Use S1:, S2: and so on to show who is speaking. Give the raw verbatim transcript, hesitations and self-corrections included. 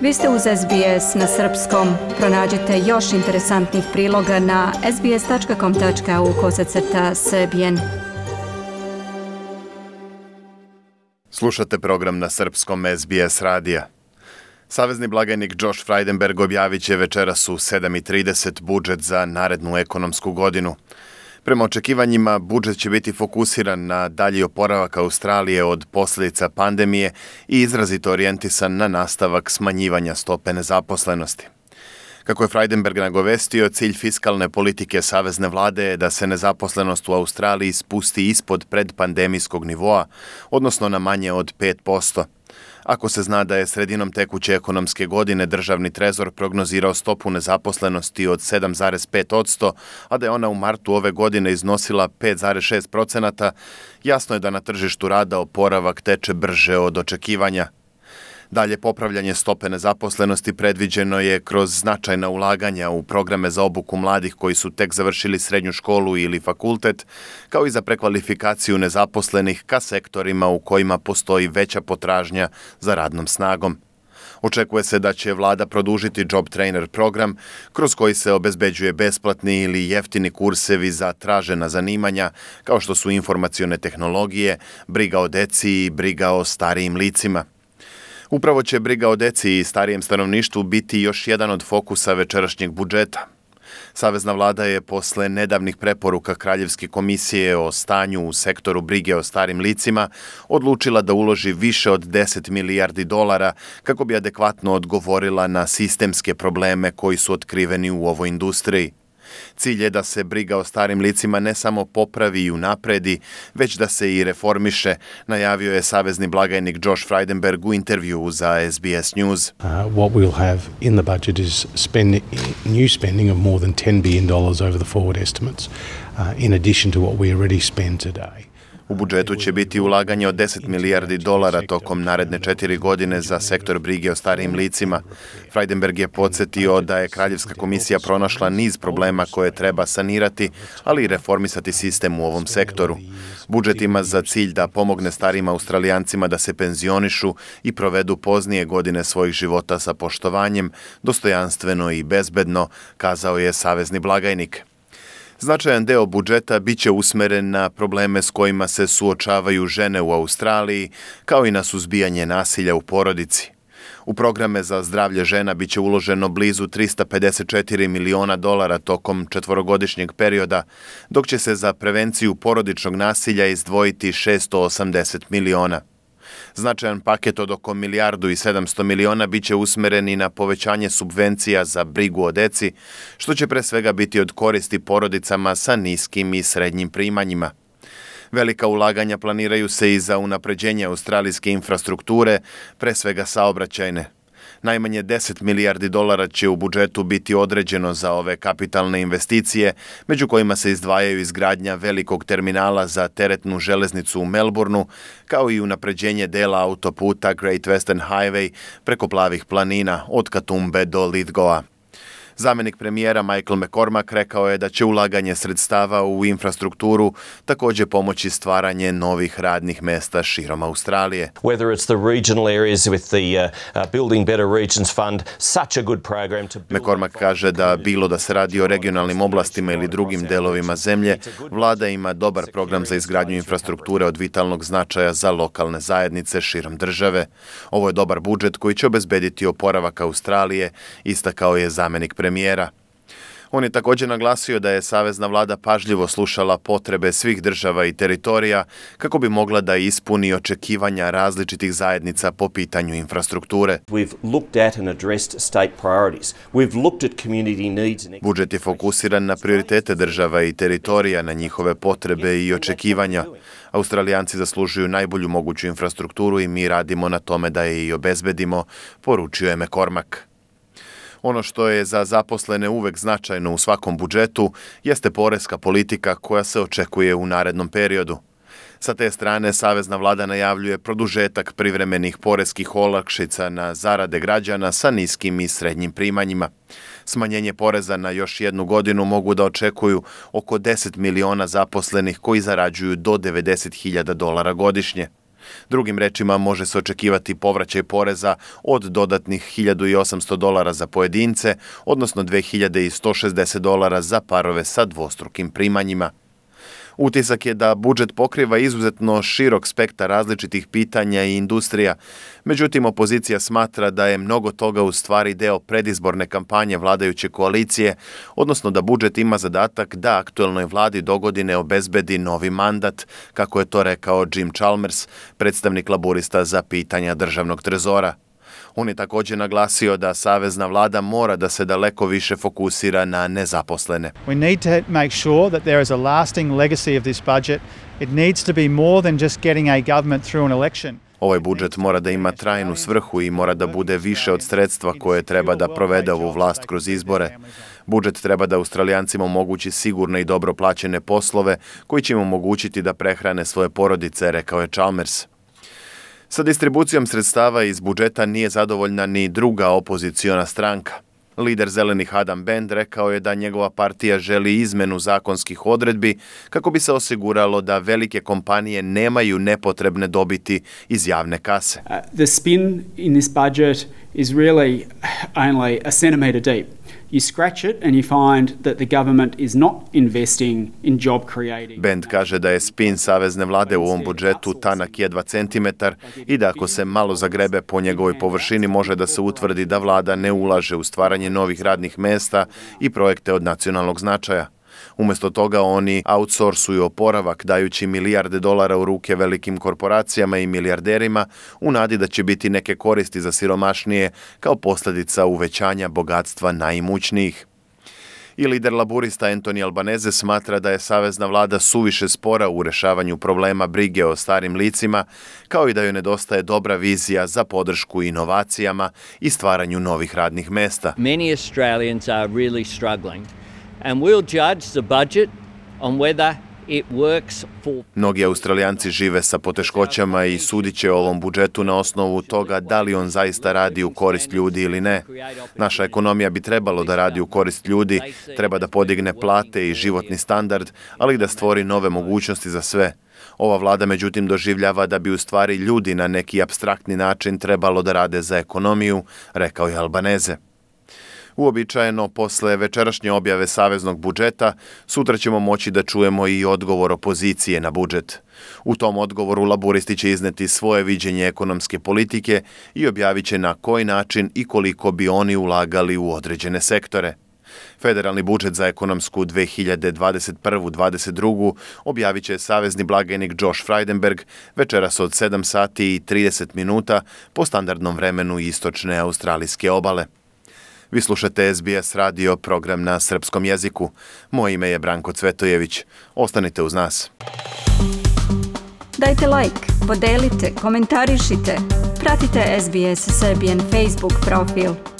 S1: Vi ste uz S B S na srpskom. Pronađite još interesantnih priloga na sbs.com.au kosacrta srbijen.
S2: Slušate program na srpskom S B S radija. Savezni blagajnik Josh Frydenberg objavit će večeras u sedam i trideset budžet za narednu ekonomsku godinu. Prema očekivanjima, budžet će biti fokusiran na dalji oporavak Australije od posljedica pandemije i izrazito orijentisan na nastavak smanjivanja stope nezaposlenosti. Kako je Frydenberg nagovestio, cilj fiskalne politike savezne vlade je da se nezaposlenost u Australiji spusti ispod predpandemijskog nivoa, odnosno na manje od pet posto. Ako se zna da je sredinom tekuće ekonomske godine državni trezor prognozirao stopu nezaposlenosti od sedam zarez pet posto, a da je ona u martu ove godine iznosila pet zarez šest posto, jasno je da na tržištu rada oporavak teče brže od očekivanja. Dalje popravljanje stope nezaposlenosti predviđeno je kroz značajna ulaganja u programe za obuku mladih koji su tek završili srednju školu ili fakultet, kao i za prekvalifikaciju nezaposlenih ka sektorima u kojima postoji veća potražnja za radnom snagom. Očekuje se da će vlada produžiti Job Trainer program, kroz koji se obezbeđuje besplatni ili jeftini kursevi za tražena zanimanja, kao što su informacione tehnologije, briga o deci i briga o starijim licima. Upravo će briga o deci i starijem stanovništvu biti još jedan od fokusa večerašnjeg budžeta. Savezna vlada je posle nedavnih preporuka Kraljevske komisije o stanju u sektoru brige o starim licima odlučila da uloži više od deset milijardi dolara kako bi adekvatno odgovorila na sistemske probleme koji su otkriveni u ovoj industriji. Cilj je da se briga o starim licima ne samo popravi i unapredi, već da se i reformiše, najavio je savezni blagajnik Josh Frydenberg u intervjuu za S B S News.
S3: Uh, what we'll have in the budget is spending, new spending of more than ten billion dollars over the forward estimates, uh, in addition to what we already spend today.
S2: U budžetu će biti ulaganje od deset milijardi dolara tokom naredne četiri godine za sektor brige o starijim licima. Frydenberg je podsjetio da je Kraljevska komisija pronašla niz problema koje treba sanirati, ali i reformisati sistem u ovom sektoru. Budžet ima za cilj da pomogne starijim Australijancima da se penzionišu i provedu poznije godine svojih života sa poštovanjem, dostojanstveno i bezbedno, kazao je savezni blagajnik. Značajan deo budžeta biće usmeren na probleme s kojima se suočavaju žene u Australiji, kao i na suzbijanje nasilja u porodici. U programe za zdravlje žena biće uloženo blizu trista pedeset četiri miliona dolara tokom četvorogodišnjeg perioda, dok će se za prevenciju porodičnog nasilja izdvojiti šesto osamdeset miliona. Značajan paket od oko milijardu i sedamsto miliona biće usmeren i na povećanje subvencija za brigu o deci, što će pre svega biti od koristi porodicama sa niskim i srednjim primanjima. Velika ulaganja planiraju se i za unapređenje australijske infrastrukture, pre svega saobraćajne. Najmanje deset milijardi dolara će u budžetu biti određeno za ove kapitalne investicije, među kojima se izdvajaju izgradnja velikog terminala za teretnu železnicu u Melbourneu, kao i unapređenje dela autoputa Great Western Highway preko plavih planina od Katumbe do Lithgowa. Zamenik premijera Michael McCormack rekao je da će ulaganje sredstava u infrastrukturu također pomoći stvaranje novih radnih mesta širom Australije.
S4: Whether it's the regional areas with the uh, uh, Building Better Regions Fund, such a good program to build.
S2: McCormack kaže da bilo da se radi o regionalnim oblastima ili drugim delovima zemlje, vlada ima dobar program za izgradnju infrastrukture od vitalnog značaja za lokalne zajednice širom države. Ovo je dobar budžet koji će obezbediti oporavak Australije, istakao je zamenik premijera. premijera. On je također naglasio da je savezna vlada pažljivo slušala potrebe svih država i teritorija kako bi mogla da ispuni očekivanja različitih zajednica po pitanju infrastrukture. Budžet je fokusiran na prioritete država i teritorija, na njihove potrebe i očekivanja. Australijanci zaslužuju najbolju moguću infrastrukturu i mi radimo na tome da je i obezbedimo, poručio je McCormack. Ono što je za zaposlene uvek značajno u svakom budžetu jeste poreska politika koja se očekuje u narednom periodu. Sa te strane, savezna vlada najavljuje produžetak privremenih poreskih olakšica na zarade građana sa niskim i srednjim primanjima. Smanjenje poreza na još jednu godinu mogu da očekuju oko deset miliona zaposlenih koji zarađuju do devedeset hiljada dolara godišnje. Drugim rečima, može se očekivati povraćaj poreza od dodatnih hiljadu osamsto dolara za pojedince, odnosno dve hiljade sto šezdeset dolara za parove sa dvostrukim primanjima. Utisak je da budžet pokriva izuzetno širok spektar različitih pitanja i industrija, međutim opozicija smatra da je mnogo toga u stvari deo predizborne kampanje vladajuće koalicije, odnosno da budžet ima zadatak da aktuelnoj vladi dogodine obezbedi novi mandat, kako je to rekao Jim Chalmers, predstavnik laburista za pitanja državnog trezora. On je također naglasio da savezna vlada mora da se daleko više fokusira na nezaposlene.
S5: We need to make sure that there is a lasting legacy of this budget. It needs to be more than just getting a government through an election.
S2: Ovaj budžet mora da ima trajnu svrhu i mora da bude više od sredstva koje treba da provede ovu vlast kroz izbore. Budžet treba da Australijancima omogući sigurne i dobro plaćene poslove koji će im omogućiti da prehrane svoje porodice, rekao je Chalmers. Sa distribucijom sredstava iz budžeta nije zadovoljna ni druga opoziciona stranka. Lider zelenih Adam Bend rekao je da njegova partija želi izmenu zakonskih odredbi kako bi se osiguralo da velike kompanije nemaju nepotrebne dobiti iz javne kase.
S6: Uh, the spin in this budget is really only a centimetre deep. You scratch it and you find that the government is not investing in job creating.
S2: Bend kaže da je spin savezne vlade u ovom budžetu tanak jedva centimetar i da ako se malo zagrebe po njegovoj površini može da se utvrdi da vlada ne ulaže u stvaranje novih radnih mesta i projekte od nacionalnog značaja. Umjesto toga oni outsourcuju oporavak dajući milijarde dolara u ruke velikim korporacijama i milijarderima u nadi da će biti neke koristi za siromašnije kao posljedica uvećanja bogatstva najimućnijih. I lider laburista Anthony Albanese smatra da je savezna vlada suviše spora u rešavanju problema brige o starim licima, kao i da joj nedostaje dobra vizija za podršku inovacijama i stvaranju novih radnih mesta.
S7: Many Australians are really struggling. And we'll judge the budget on whether it works for...
S2: Mnogi Australijanci žive sa poteškoćama i sudit će o ovom budžetu na osnovu toga da li on zaista radi u korist ljudi ili ne. Naša ekonomija bi trebalo da radi u korist ljudi, treba da podigne plate i životni standard, ali i da stvori nove mogućnosti za sve. Ova vlada međutim doživljava da bi u stvari ljudi na neki apstraktni način trebalo da rade za ekonomiju, rekao je Albanese. Uobičajeno, posle večerašnje objave saveznog budžeta, sutra ćemo moći da čujemo i odgovor opozicije na budžet. U tom odgovoru laburisti će izneti svoje viđenje ekonomske politike i objavit će na koji način i koliko bi oni ulagali u određene sektore. Federalni budžet za ekonomsku dve hiljade dvadeset prvu dvadeset drugu objavit će savezni blagajnik Josh Frydenberg večeras od sedam sati i trideset minuta po standardnom vremenu istočne australijske obale. Vi slušate S B S radio, program na srpskom jeziku. Moje ime je Branko Cvetojević. Ostanite uz nas.
S1: Dajte like, podelite, komentarišite. Pratite S B S Serbian Facebook profil.